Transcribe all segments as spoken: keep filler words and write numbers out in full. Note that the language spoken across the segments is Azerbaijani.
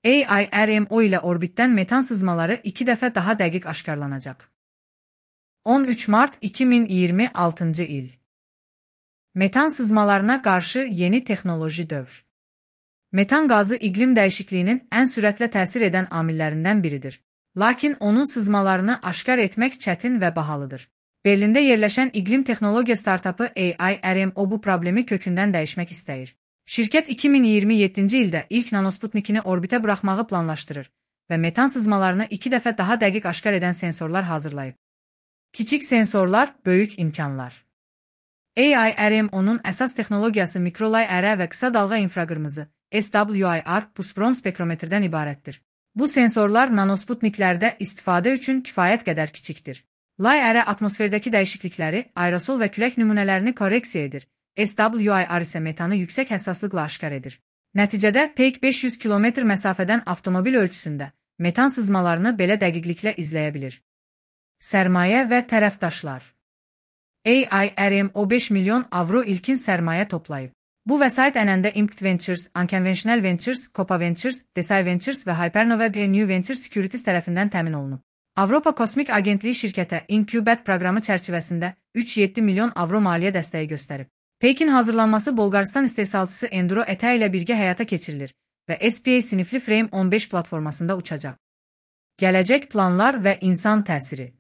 A I R M O ile orbitdən metan sızmaları iki dəfə daha dəqiq aşkarlanacaq. on üç mart iki min iyirmi altıncı il. Metan sızmalarına qarşı yeni texnoloji dövr. Metan qazı iqlim dəyişikliyinin ən sürətlə təsir edən amillərindən biridir. Lakin onun sızmalarını aşkar etmək çətin və bahalıdır. Berlində yerləşən iqlim texnologiya startapı A I R M O bu problemi kökündən dəyişmək istəyir. Şirkət iki min iyirmi yeddinci ildə ilk nanosputnikini orbitə buraxmağı planlaşdırır və metan sızmalarını iki dəfə daha dəqiq aşkar edən sensorlar hazırlayıb. Kiçik sensorlar, böyük imkanlar. A I R M O'nun əsas texnologiyası mikrolay ərə və qısa dalğa infraqırmızı S W I R pusprom spektrometrdən ibarətdir. Bu sensorlar nanosputniklərdə istifadə üçün kifayət qədər kiçikdir. Lay ərə atmosferdəki dəyişiklikləri, aerosol və külək nümunələrini korreksiya edir. S W I R isə metanı yüksək həssaslıqla aşkar edir. Nəticədə peyk beş yüz kilometr məsafədən avtomobil ölçüsündə metan sızmalarını belə dəqiqliklə izləyə bilir. Sərmayə və tərəfdaşlar. A I R M O beş milyon avro ilkin sərmayə toplayıb. Bu vəsait ənəndə Impact Ventures, Unconventional Ventures, Copa Ventures, Desai Ventures və Hypernova New Ventures Securities tərəfindən təmin olunub. Avropa Kosmik Agentliyi şirkətə Incubate proqramı çərçivəsində üç nöqtə yeddi milyon avro maliyyə dəstəyi göstərib. Peykin hazırlanması Bolqarıstan istehsalçısı Enduro E T A ilə birgə həyata keçirilir və S P A sinifli Frame on beş platformasında uçacaq. Gələcək planlar və insan təsiri.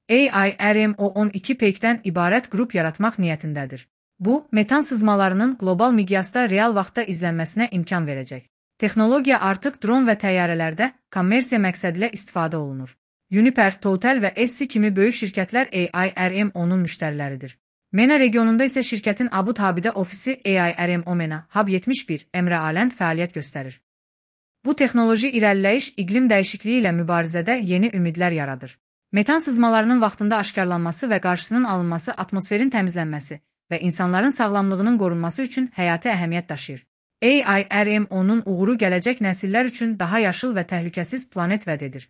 A I R M O on iki peykdən ibarət qrup yaratmaq niyyətindədir. Bu, metan sızmalarının qlobal miqyasda real vaxtda izlənməsinə imkan verəcək. Texnologiya artıq dron və təyyarələrdə kommersiya məqsədilə istifadə olunur. Uniper, Total və Essi kimi böyük şirkətlər A I R M O'nun müştəriləridir. MENA regionunda isə şirkətin Abu Dhabi'də ofisi A I R M O MENA Hub yetmiş bir Emre Alənd fəaliyyət göstərir. Bu texnoloji irəliləyiş iqlim dəyişikliyi ilə mübarizədə yeni ümidlər yaradır. Metan sızmalarının vaxtında aşkarlanması və qarşısının alınması atmosferin təmizlənməsi və insanların sağlamlığının qorunması üçün həyati əhəmiyyət daşıyır. A I R M O'nun uğuru gələcək nəsillər üçün daha yaşıl və təhlükəsiz planet vəd edir.